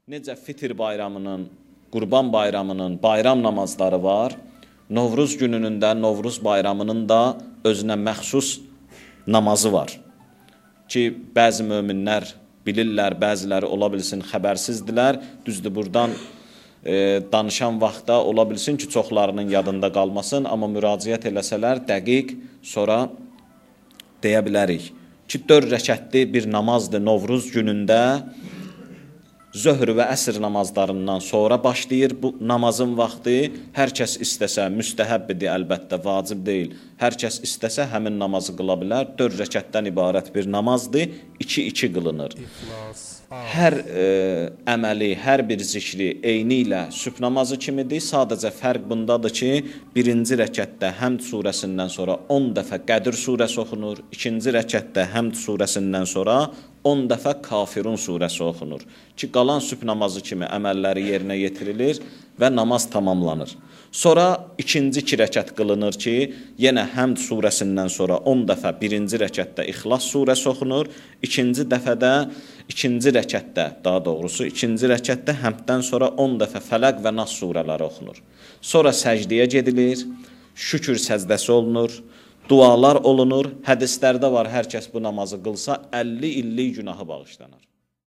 necə Fitr bayramının, Qurban bayramının bayram namazları var, Novruz gününün də, Novruz bayramının da özünə məxsus namazı var. Ki, bəzi möminlər bilirlər, bəziləri ola bilsin xəbərsizdirlər. Düzdür, buradan danışan vaxtda ola bilsin ki, çoxlarının yadında qalmasın, amma müraciət eləsələr dəqiq sonra deyə bilərik. Ki, 4 rəkətli bir namazdır Novruz günündə, zöhr və əsr namazlarından sonra başlayır bu namazın vaxtı. Hər kəs istəsə, müstəhəbbidir əlbəttə, vacib deyil. Hər kəs istəsə həmin namazı qıla bilər. 4 rəkətdən ibarət bir namazdır, 2-2 qılınır. Hər əməli, hər bir zikri eyni ilə sübh namazı kimidir. Sadəcə fərq bundadır ki, birinci rəkətdə Həmd surəsindən sonra 10 dəfə Qədir surəsi oxunur. İkinci rəkətdə Həmd surəsindən sonra 10 dəfə Kafirun surəsi oxunur. Ki, qalan sübh namazı kimi əməlləri yerinə yetirilir və namaz tamamlanır. Sonra ikinci 2 rəkət qılınır ki, yenə Həmd surəsindən sonra 10 dəfə birinci rəkətdə İxlas surəsi oxunur. İkinci dəfədə, ikinci rəkətdə, daha doğrusu, ikinci rəkətdə Həmddən sonra 10 dəfə Fələq və Nas surələri oxunur. Sonra səcdiyə gedilir, şükür səcdəsi olunur, dualar olunur. Hədislərdə var, hər kəs bu namazı qılsa 50 illik günahı bağışlanır.